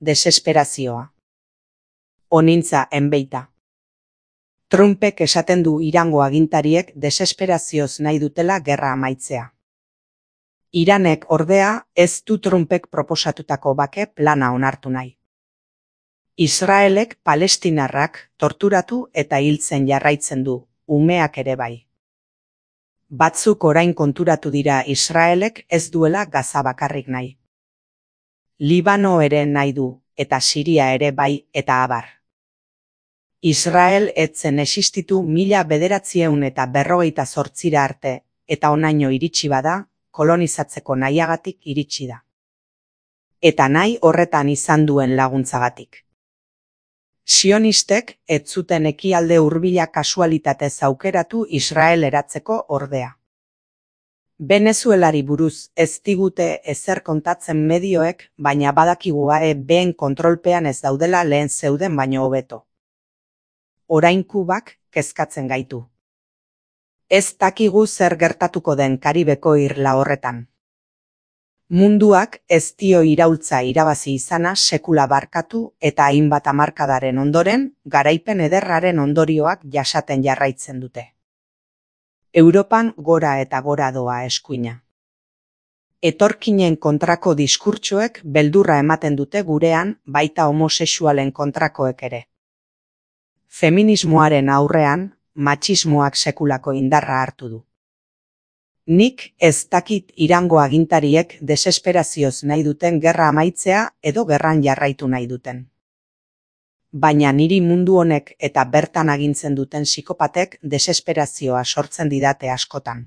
desesperazioa. Onintza enbeita. Trumpek esaten du Irango agintariek desesperazioz nahi dutela gerra amaitzea. Iranek ordea ez du Trumpek proposatutako bake plana onartu nahi. Israelek palestinarrak torturatu eta hiltzen jarraitzen du, umeak ere bai. Batzuk orain konturatu dira Israelek ez duela Gaza bakarrik nahi. Libano ere nahi du, eta Siria ere bai, eta abar. Israel ez zen existitu 1948 arte, eta honaino iritsi bada, kolonizatzeko nahiagatik iritsi da. Eta nahi horretan izan duen laguntzagatik. Sionistek ez zuten ekialde hurbila kasualitatez aukeratu Israel eratzeko ordea. Venezuelari buruz ez digute ezer kontatzen medioek, baina badakigu been kontrolpean ez daudela lehen zeuden baino hobeto. Orain Kubak kezkatzen gaitu. Ez dakigu zer gertatuko den Karibeko irla horretan. Munduak ez dio iraultza irabazi izana sekula barkatu eta hainbat hamarkadaren ondoren, garaipen ederraren ondorioak jasaten jarraitzen dute. Europan gora eta gora doa eskuina. Etorkinen kontrako diskurtsoek beldurra ematen dute gurean, baita homosexualen kontrakoek ere. Feminismoaren aurrean, matxismoak sekulako indarra hartu du. Nik ez dakit Irango agintariek desesperazioz nahi duten gerra amaitzea edo gerran jarraitu nahi duten. Baina niri mundu honek eta bertan agintzen duten psikopatek desesperazioa sortzen didate askotan.